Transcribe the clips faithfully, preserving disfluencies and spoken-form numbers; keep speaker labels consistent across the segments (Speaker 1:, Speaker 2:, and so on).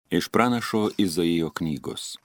Speaker 1: Iš pranašo Izaijo knygos.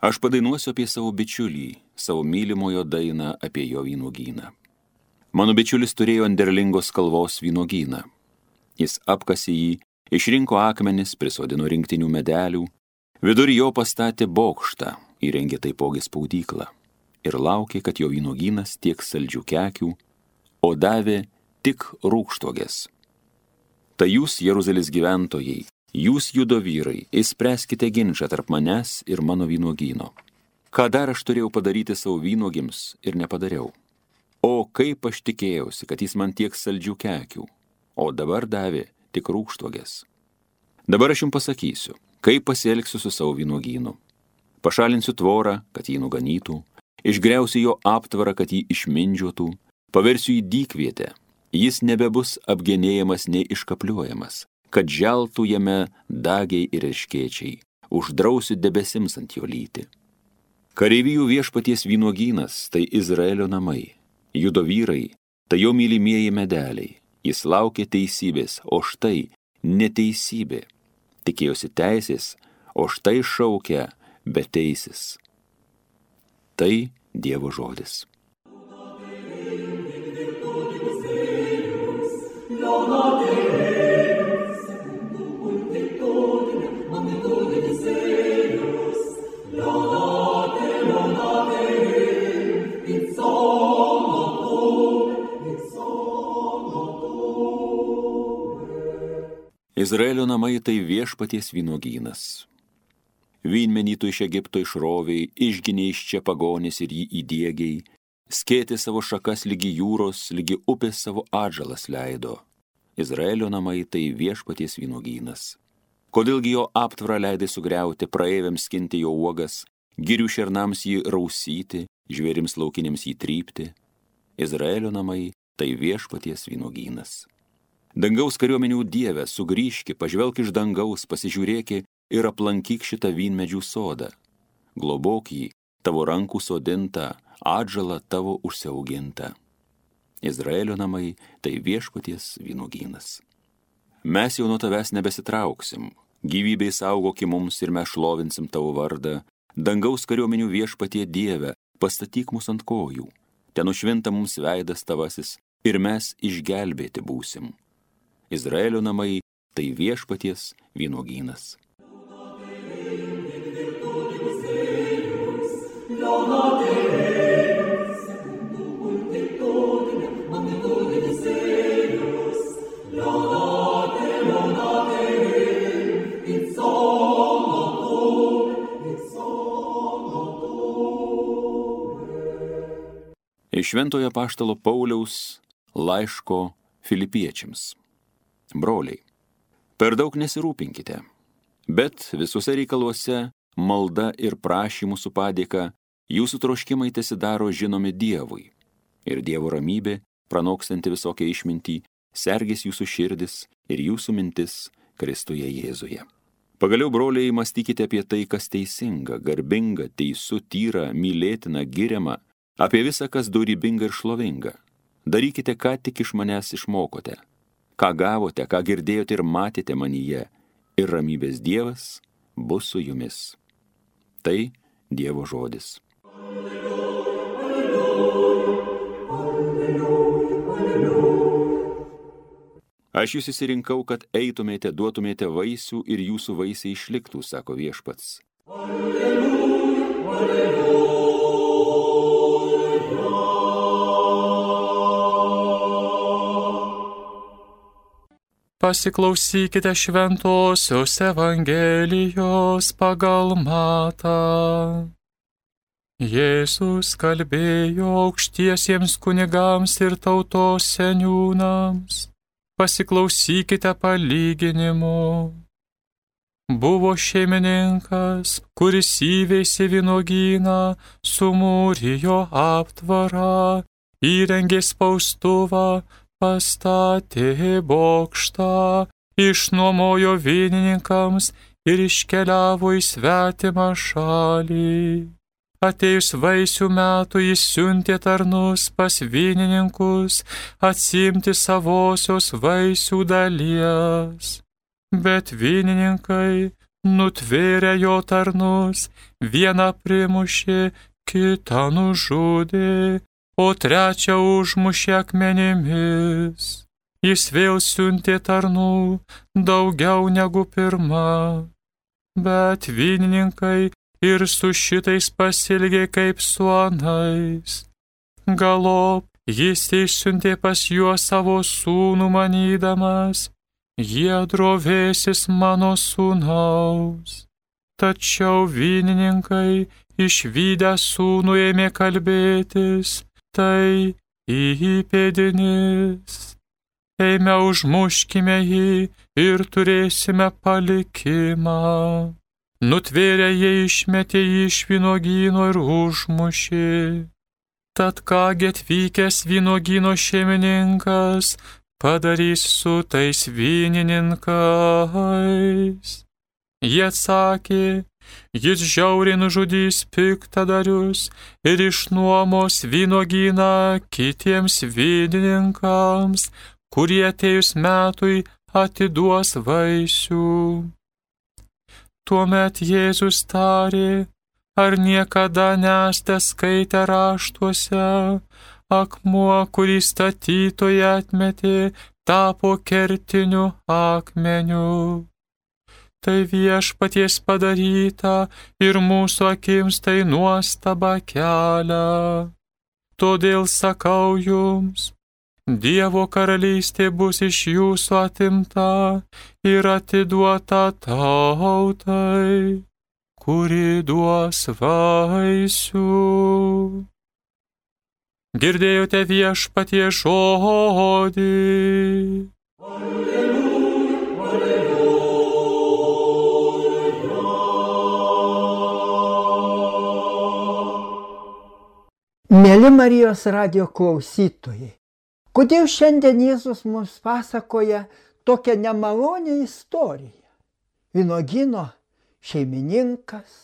Speaker 1: Aš padainuosiu apie savo bičiulį, savo mylimojo dainą apie jo vynuogyną. Mano bičiulis turėjo ant derlingos kalvos vynuogyną. Jis apkasė jį, išrinko akmenis, prisodino rinktinių medelių, vidur jo pastatė bokštą, įrengė taipogi spaudyklą ir laukė, kad jo vynuogynas tiek saldžių kekių, o davė tik rūgštuogės. Tai jūs, Jeruzalės gyventojai, jūs, judo vyrai, išspręskite ginčą tarp manęs ir mano vynuogyno. Ką dar aš turėjau padaryti savo vynuogims ir nepadariau? O kaip aš tikėjausi, kad jis man tiek saldžių kekių, o dabar davė tik rūgštuogės. Dabar aš jums pasakysiu, kaip pasielgsiu su savo vynuogynu. Pašalinsiu tvorą, kad jį nuganytų, išgriausiu jo aptvarą, kad jį išmindžiotų, paversiu jį dykvietę, jis nebebus apgenėjamas nei iškapliuojamas, kad želtų jame dagiai ir erškėčiai, uždrausiu debesims ant jo lyti. Kareivijų viešpaties vynuogynas tai Izraelio namai, judo vyrai tai jo mylimieji medeliai, jis laukė teisybės, o štai neteisybė, tikėjosi teisės, o štai šaukia beteisis. Tai Dievo žodis. Izraelio namai tai viešpaties vynuogynas. Vynmenį tu iš Egipto išroviai, išginė iš čia pagonis ir jį įdiegiai, skėtė savo šakas lygi jūros, lygi upės savo atžalas leido. Izraelio namai tai viešpaties vynuogynas. Kodėlgi jo aptvarą leidai sugriauti, praeiviams skinti jo uogas, girių šernams jį rausyti, žvėrims laukiniams jį trypti? Izraelio namai tai viešpaties vynuogynas. Dangaus kariuomenių Dieve, sugrįžki, pažvelk iš dangaus, pasižiūrėki ir aplankyk šitą vynmedžių sodą. Globok jį, tavo rankų sodintą, atžalą tavo užsiaugintą. Izraelio namai tai viešpaties vynuogynas. Mes jau nuo tavęs nebesitrauksim, gyvybei saugoki mums ir mes šlovinsim tavo vardą. Dangaus kariuomenių viešpatie Dieve, pastatyk mus ant kojų, ten nušvinta mums veidas tavasis ir mes išgelbėti būsim. Izraelio namai tai viešpaties vynuogynas. Iš Šventojo apaštalo Pauliaus laiško Filipiečiams. Broliai, per daug nesirūpinkite, bet visuose reikaluose malda ir prašymų su padėka jūsų troškimai tesidaro žinomi Dievui. Ir Dievo ramybė, pranokstanti visokią išmintį, sergės jūsų širdis ir jūsų mintis Kristuje Jėzuje. Pagaliau, broliai, mąstykite apie tai, kas teisinga, garbinga, teisu, tyra, mylėtina, giriama, apie visą, kas dorybinga ir šlovinga. Darykite, ką tik iš manęs išmokote, ką gavote, ką girdėjote ir matėte manyje, ir ramybės Dievas bus su jumis. Tai Dievo žodis. Aš jūs įsirinkau, kad eitumėte, duotumėte vaisių ir jūsų vaisiai išliktų, sako viešpats. Alleluja, alleluja.
Speaker 2: Pasiklausykite šventosios Evangelijos pagal Matą. Jėzus kalbėjo aukštiesiems kunigams ir tautos seniūnams. Pasiklausykite palyginimo. Buvo šeimininkas, kuris įveisė vynuogyną, sumūrijo aptvarą, įrengė spaustuvą, pastatė bokštą, išnuomojo vynininkams ir iškeliavo į svetimą šalį. Atėjus vaisių metų jis siuntė tarnus pas vynininkus atsiimti savosios vaisių dalies. Bet vynininkai nutvėrė jo tarnus, vieną primušė, kitą nužudė, o trečią užmušė akmenimis. Jis vėl siuntė tarnų daugiau negu pirma, bet vynininkai ir su šitais pasielgė kaip su anais. Galop jis išsiuntė pas juos savo sūnų manydamas, jie drovėsis mano sūnaus. Tačiau vynininkai išvydę sūnų ėmė kalbėtis, tai įpėdinis. Eime užmuškime jį ir turėsime palikimą. Nutvėrę jie išmetė jį iš vynuogyno ir užmušė. Tad kągi atvykęs vynuogyno šeimininkas padarys su tais vynininkais? Jie atsakė, jis žiauriai nužudys piktadarius ir išnuomos vynuogyną kitiems vynininkams, kurie atėjus metui atiduos vaisių. Tuomet Jėzus tarė, ar niekada nesate skaitę raštuose, akmuo, kurį statytojai atmetė, tapo kertiniu akmeniu. Tai viešpaties padaryta ir mūsų akims tai nuostaba kelia. Todėl sakau jums, Dievo karalystė bus iš jūsų atimta ir atiduota tautai, kuri duos vaisių. Girdėjote viešpatie žodį.
Speaker 3: Mėly Marijos radijo klausytojai, kodėl šiandien Jėzus mums pasakoja tokią nemalonę istoriją? Vynuogyno šeimininkas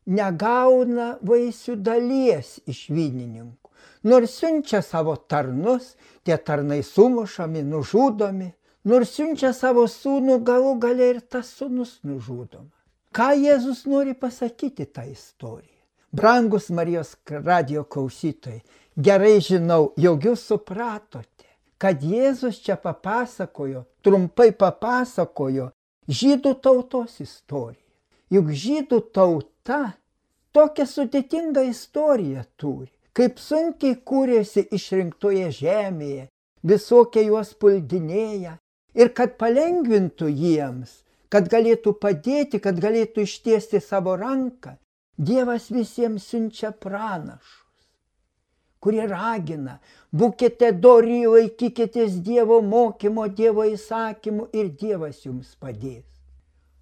Speaker 3: negauna vaisių dalies iš vynininkų, nors siunčia savo tarnus, tie tarnai sumušami, nužudomi, nors siunčia savo sūnų, galų gale ir tas sūnus nužudomas. Ką Jėzus nori pasakyti tą istoriją? Brangus Marijos radijo klausytojai, gerai žinau, jog jūs supratote, kad Jėzus čia papasakojo, trumpai papasakojo žydų tautos istoriją. Juk žydų tauta tokią sudėtingą istoriją turi, kaip sunkiai kūrėsi išrinktoje žemėje, visokie juos puldinėja, ir kad palengvintų jiems, kad galėtų padėti, kad galėtų ištiesti savo ranką, Dievas visiems siunčia pranašus, kurie ragina, būkite dori, laikykitės Dievo mokymo, Dievo įsakymų ir Dievas jums padės.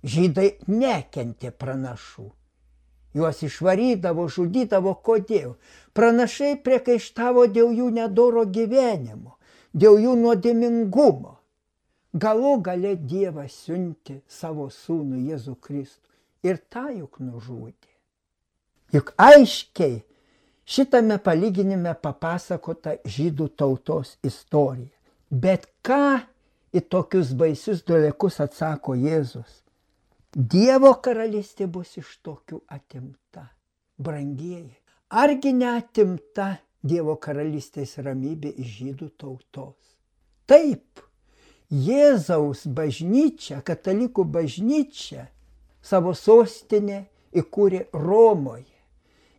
Speaker 3: Žydai nekentė pranašų. Juos išvarydavo, žudydavo. Kodėl? Pranašai priekaištavo dėl jų nedoro gyvenimo, dėl jų nuodėmingumo. Galų gale Dievas siuntė savo sūnų Jėzų Kristų ir tą juk nužudė. Juk aiškiai šitame palyginime papasakota žydų tautos istorija. Bet ką į tokius baisius dalykus atsako Jėzus? Dievo karalystė bus iš tokių atimta. Brangieji, argi neatimta Dievo karalystės ramybė iš žydų tautos? Taip, Jėzaus bažnyčia, katalikų bažnyčia, savo sostinę įkūrė Romoje.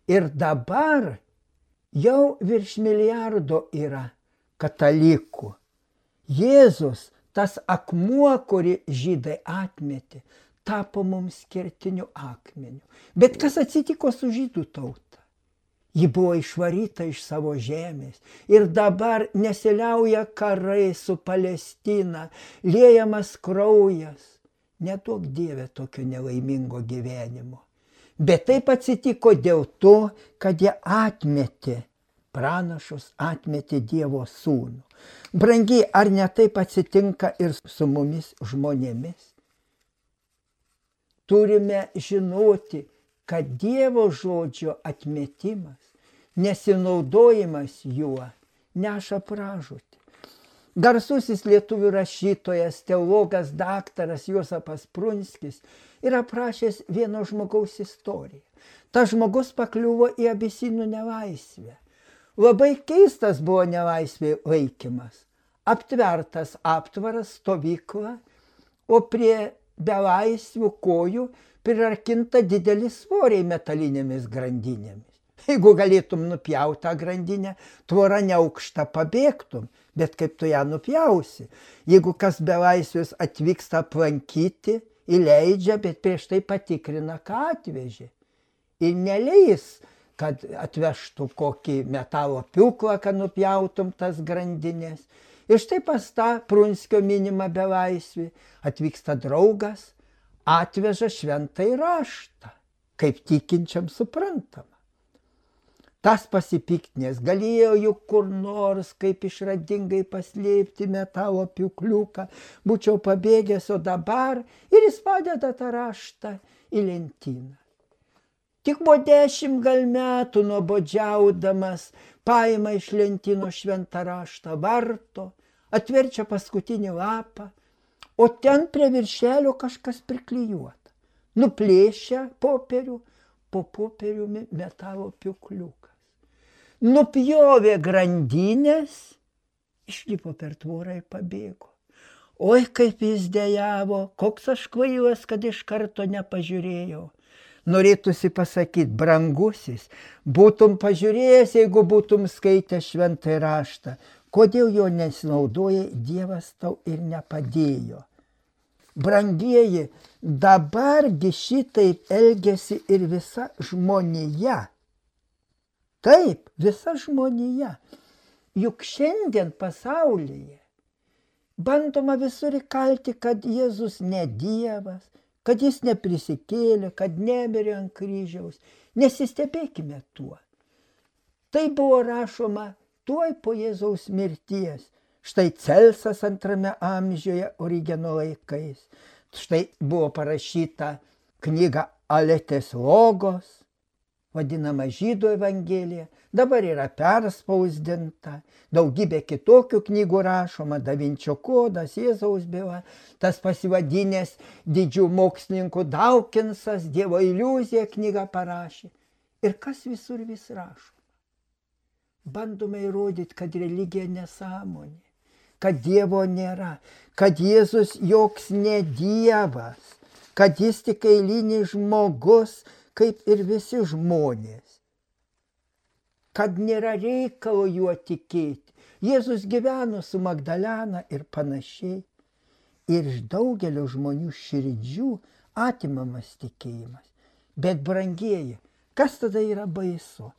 Speaker 3: Ir dabar jau virš milijardo yra katalikų. Jėzus, tas akmuo, kurį žydai atmetė, tapo mums kertiniu akmeniu. Bet kas atsitiko su žydų tauta? Ji buvo išvaryta iš savo žemės ir dabar nesiliauja karai su Palestina, liejamas kraujas. Neduok Dieve tokio nelaimingo gyvenimo. Bet taip atsitiko dėl to, kad jie atmetė pranašus, atmetė Dievo sūnų. Brangiai, ar ne taip atsitinka ir su mumis žmonėmis? Turime žinoti, kad Dievo žodžio atmetimas, nesinaudojimas juo neša pražūtį. Garsusis lietuvių rašytojas, teologas, daktaras Juozapas Prunskis yra aprašęs vieno žmogaus istoriją. Ta žmogus pakliuvo į Abisinų nelaisvę. Labai keistas buvo nelaisvė laikymas. Aptvertas aptvaras, stovykla, o prie belaisvių kojų prirakinta dideli svoriai metalinėmis grandinėmis. Jeigu galėtum nupjauti tą grandinę, tvora neaukšta pabėgtum, bet kaip tu ją nupjausi? Jeigu kas belaisvis atvyksta aplankyti, įleidžia, bet prieš tai patikrina, ką atvežė. Ir neleis, kad atvežtų kokį metalo pjūklą, kad nupjautum tas grandinės. Ir štai pas tą Prunskio minimą belaisvį atvyksta draugas, atveža šventąjį raštą, kaip tikinčiam suprantama. Tas pasipiktinės galėjo juk kur nors kaip išradingai paslėpti metalo pjūkliuką, būčiau pabėgęs, o dabar ir jis padeda tą raštą į lentyną. Tik po dešimt gal metų nuobodžiaudamas paima iš lentyno šventą raštą, varto, atverčia paskutinį lapą, o ten prie viršelio kažkas priklijuota. Nuplėšia popierių, po popieriumi metalo pjūkliukas. Nupjovė grandinės, išlipo per tvorą ir pabėgo. Oi, kaip jis dejavo, koks aš kvailas, kad iš karto nepažiūrėjau. Norėtųsi pasakyti, brangusis, būtum pažiūrėjęs, jeigu būtum skaitęs šventąjį raštą. Kodėl jo nesinaudojai, Dievas tau ir nepadėjo. Brangieji, dabargi šitaip elgiasi ir visa žmonija. Taip, visa žmonija. Juk šiandien pasaulyje bandoma visur įkalti, kad Jėzus ne Dievas, kad jis neprisikėlė, kad nemirė ant kryžiaus. Nesistebėkime tuo. Tai buvo rašoma tuoj po Jėzaus mirties. Štai Celsas antrame amžiuje Origeno laikais. Štai buvo parašyta knyga Aletės logos, vadinama Žydų evangelija, dabar yra perspausdinta, daugybė kitokių knygų rašoma, Da Vinčio kodas, Jėzaus byla, tas pasivadinęs didžių mokslininkų Dawkinsas, Dievo iliuzija knygą parašė. Ir kas visur vis rašoma? Bandome įrodyti, kad religija nesąmonė, kad Dievo nėra, kad Jėzus joks ne Dievas, kad jis tik eilinis žmogus, kaip ir visi žmonės, kad nėra reikalo juo tikėti. Jėzus gyveno su Magdalena ir panašiai. Ir iš daugelio žmonių širdžių atimamas tikėjimas. Bet brangieji, kas tada yra baisu?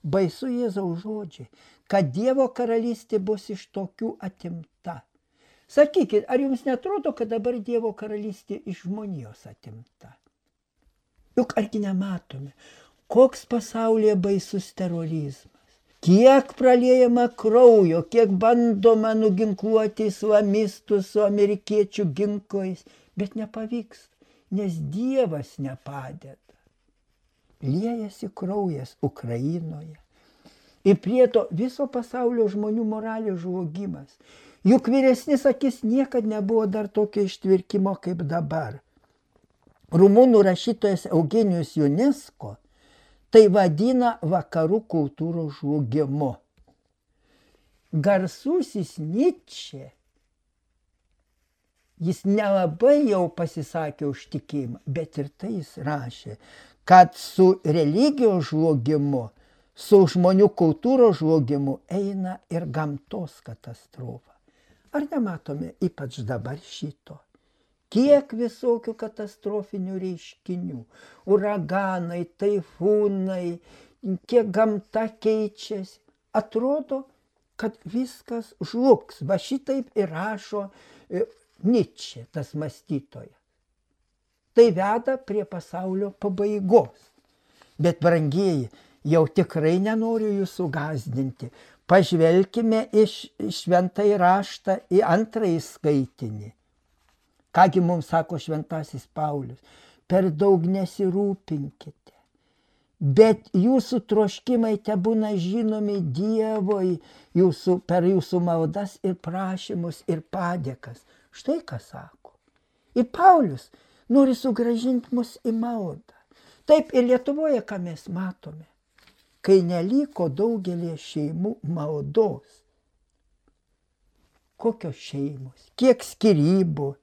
Speaker 3: Baisu Jėzaus žodžiai, kad Dievo karalystė bus iš tokių atimta. Sakykit, ar jums netrodo, kad dabar Dievo karalystė iš žmonijos atimta? Juk argi nematome, koks pasaulyje baisus terorizmas, kiek praliejama kraujo, kiek bandoma nuginkluoti islamistus su amerikiečių ginklais, bet nepavyksta, nes Dievas nepadeda. Liejasi kraujas Ukrainoje. Ir prie to viso pasaulio žmonių moralės žlugimas. Juk vyresnis akis niekad nebuvo dar tokio ištvirkimo kaip dabar. Rumunų rašytojas Eugenijus Ionesco tai vadina vakarų kultūros žlugimu. Garsusis Nyčė, jis nelabai jau pasisakė už tikėjimą, bet ir tai jis rašė, kad su religijos žlugimu, su žmonių kultūros žlugimu eina ir gamtos katastrofa. Ar nematome ypač dabar šito? Kiek visokių katastrofinių reiškinių, uraganai, taifūnai, kiek gamta keičiasi. Atrodo, kad viskas žlugs. Va šitaip ir rašo Nyčė, tas mąstytojas. Tai veda prie pasaulio pabaigos. Bet, brangieji, jau tikrai nenoriu jūsų gąsdinti. Pažvelkime iš šventąjį raštą į antrąjį skaitinį. Kągi mums sako šventasis Paulius, per daug nesirūpinkite, bet jūsų troškimai tebūna žinomi Dievui jūsų, per jūsų maldas ir prašymus ir padėkas. Štai ką sako. Ir Paulius nori sugrąžinti mus į maldą. Taip ir Lietuvoje, ką mes matome, kai neliko daugelį šeimų maldos. Kokios šeimos, kiek skyrybų.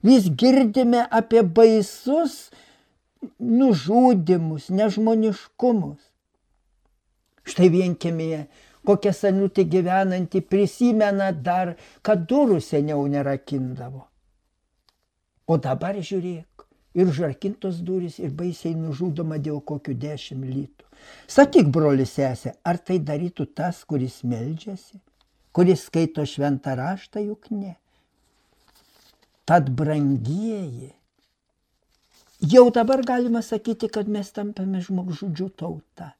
Speaker 3: Vis girdime apie baisus nužudymus, nežmoniškumus. Štai vienkiemėje kokia senutė gyvenanti prisimena dar, kad durų seniau nerakindavo. O dabar žiūrėk, ir užrakintos durys, ir baisiai nužudoma dėl kokių dešimt litų. Sakyk, broli sesė, ar tai darytų tas, kuris meldžiasi, kuris skaito šventą raštą, juk ne. Tad brangieji, jau dabar galima sakyti, kad mes tampame žmogžudžių tauta.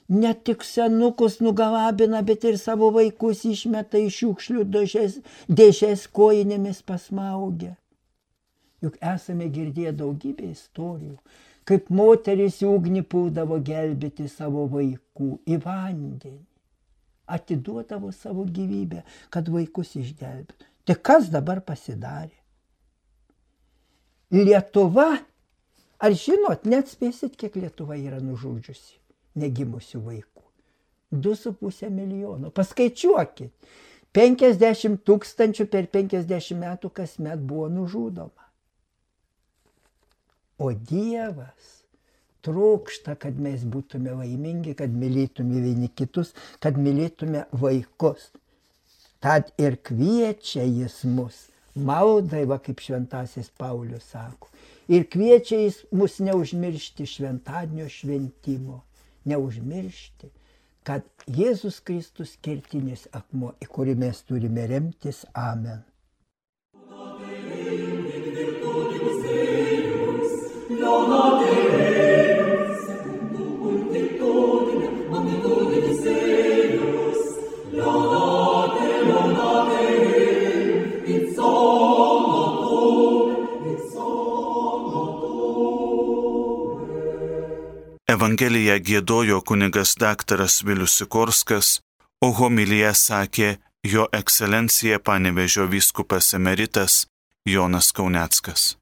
Speaker 3: Ne tik senukus nugalabina, bet ir savo vaikus išmeta iš šiukšlių dėžės, dėžės kojinėmis pasmaugia. Juk esame girdėję daugybę istorijų, kaip moteris į ugnį puldavo gelbėti savo vaikų, į vandenį. Atiduodavo savo gyvybę, kad vaikus išgelbėtų. Tai kas dabar pasidarė? Lietuva, ar žinot, net spėsit, kiek Lietuva yra nužudžiusi negimusių vaikų? Du su pusė milijono. Paskaičiuokit. penkiasdešimt tūkstančių per penkiasdešimt metų kasmet buvo nužudoma. O Dievas trokšta, kad mes būtume laimingi, kad mylėtume vieni kitus, kad mylėtume vaikus. Tad ir kviečia jis mus maldai, va kaip šventasis Paulius sako. Ir kviečia jis mus neužmiršti šventadienio šventimo, neužmiršti, kad Jėzus Kristus kertinis akmuo, į kurį mes turime remtis. Amen.
Speaker 4: Evangeliją giedojo kunigas daktaras Vilius Sikorskas, o homiliją sakė jo ekscelencija Panevėžio vyskupas emeritas Jonas Kauneckas.